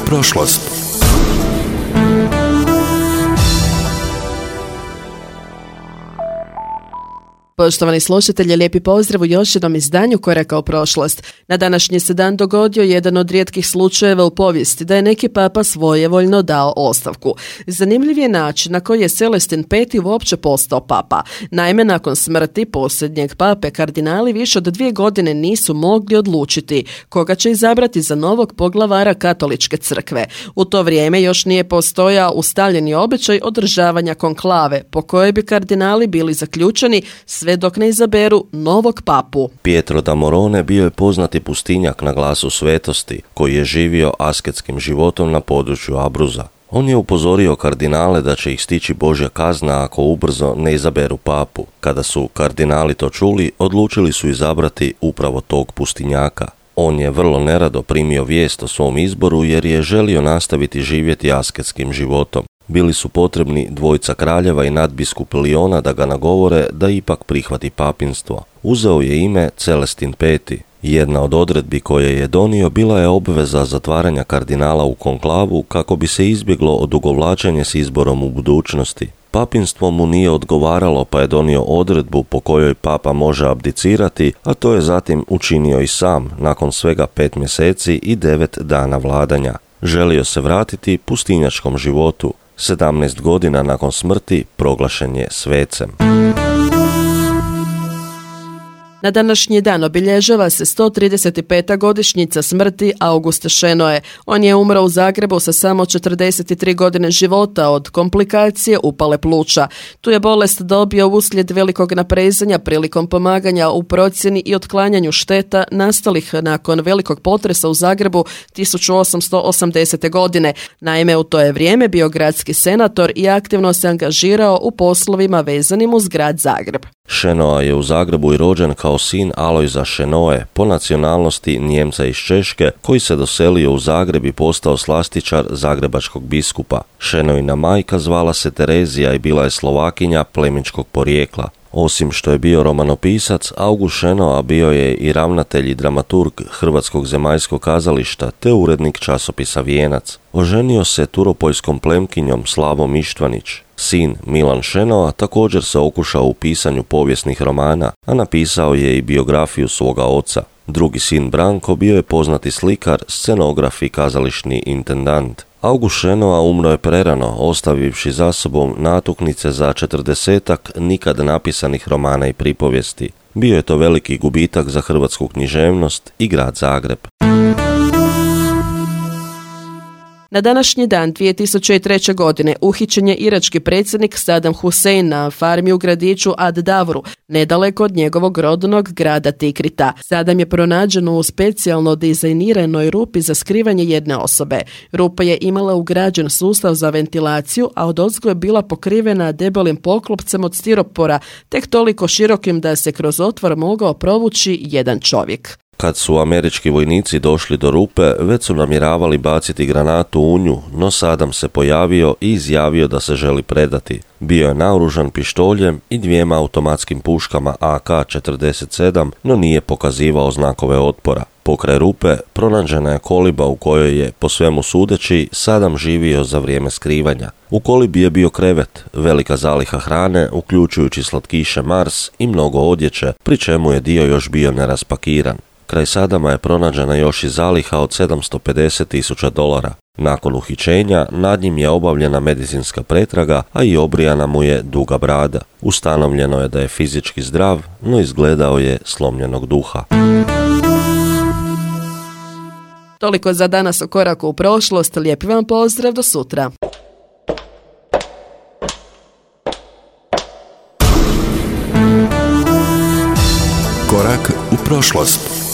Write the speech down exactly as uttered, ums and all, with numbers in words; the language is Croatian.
prošlost. Poštovani slušatelji, lijepi pozdrav u još jednom izdanju Koraka u prošlost. Na današnji se dan dogodio jedan od rijetkih slučajeva u povijesti da je neki papa svojevoljno dao ostavku. Zanimljiv je način na koji je Celestin peti uopće postao papa. Naime, nakon smrti posljednjeg pape, kardinali više od dvije godine nisu mogli odlučiti koga će izabrati za novog poglavara katoličke crkve. U to vrijeme još nije postojao ustaljeni običaj održavanja konklave, po kojoj bi kardinali bili zaključeni sve dok ne izaberu novog papu. Pietro da Morone bio je poznati pustinjak na glasu svetosti, koji je živio asketskim životom na području Abruza. On je upozorio kardinale da će ih stići Božja kazna ako ubrzo ne izaberu papu. Kada su kardinali to čuli, odlučili su izabrati upravo tog pustinjaka. On je vrlo nerado primio vijest o svom izboru jer je želio nastaviti živjeti asketskim životom. Bili su potrebni dvojica kraljeva i nadbiskup Liona da ga nagovore da ipak prihvati papinstvo. Uzeo je ime Celestin peti. Jedna od odredbi koje je donio bila je obveza zatvaranja kardinala u konklavu kako bi se izbjeglo odugovlačenje s izborom u budućnosti. Papinstvo mu nije odgovaralo pa je donio odredbu po kojoj papa može abdicirati, a to je zatim učinio i sam nakon svega pet mjeseci i devet dana vladanja. Želio se vratiti pustinjačkom životu. sedamnaest godina nakon smrti proglašen je svecem. Na današnji dan obilježava se sto trideset peta godišnjica smrti Augusta Šenoe. On je umro u Zagrebu sa samo četrdeset tri godine života od komplikacije upale pluća. Tu je bolest dobio uslijed velikog naprezanja prilikom pomaganja u procjeni i otklanjanju šteta nastalih nakon velikog potresa u Zagrebu tisuću osamsto osamdesete. godine. Naime, u to je vrijeme bio gradski senator i aktivno se angažirao u poslovima vezanim uz grad Zagreb. Šenoa je u Zagrebu i rođen kao sin Alojza Šenoe, po nacionalnosti Nijemca iz Češke, koji se doselio u Zagreb i postao slastičar zagrebačkog biskupa. Šenoina majka zvala se Terezija i bila je Slovakinja plemičkog porijekla. Osim što je bio romanopisac, August Šenoa bio je i ravnatelj i dramaturg Hrvatskog zemaljskog kazališta te urednik časopisa Vijenac. Oženio se turopoljskom plemkinjom Slavom Ištvanić. Sin Milan Šenoa također se okušao u pisanju povijesnih romana, a napisao je i biografiju svoga oca. Drugi sin Branko bio je poznati slikar, scenograf i kazališni intendant. August Šenoa umro je prerano, ostavivši za sobom natuknice za četrdesetak nikad napisanih romana i pripovijesti. Bio je to veliki gubitak za hrvatsku književnost i grad Zagreb. Na današnji dan dvije tisuće treće. godine uhićen je irački predsjednik Saddam Hussein na farmi u gradiću Ad Davru, nedaleko od njegovog rodnog grada Tikrita. Saddam je pronađen u specijalno dizajniranoj rupi za skrivanje jedne osobe. Rupa je imala ugrađen sustav za ventilaciju, a odozgo je bila pokrivena debelim poklopcem od stiropora, tek toliko širokim da se kroz otvor mogao provući jedan čovjek. Kad su američki vojnici došli do rupe, već su namjeravali baciti granatu u nju, no Saddam se pojavio i izjavio da se želi predati. Bio je naoružan pištoljem i dvijema automatskim puškama A K četrdeset sedam, no nije pokazivao znakove otpora. Pokraj rupe pronađena je koliba u kojoj je, po svemu sudeći, Saddam živio za vrijeme skrivanja. U kolibi je bio krevet, velika zaliha hrane, uključujući slatkiše Mars i mnogo odjeće, pri čemu je dio još bio neraspakiran. Kraj Saddama je pronađena još i zaliha od sedamsto pedeset tisuća dolara. Nakon uhićenja nad njim je obavljena medicinska pretraga, a i obrijana mu je duga brada. Ustanovljeno je da je fizički zdrav, no izgledao je slomljenog duha. Toliko za danas o Koraku u prošlost. Lijepi vam pozdrav, do sutra. Korak u prošlost.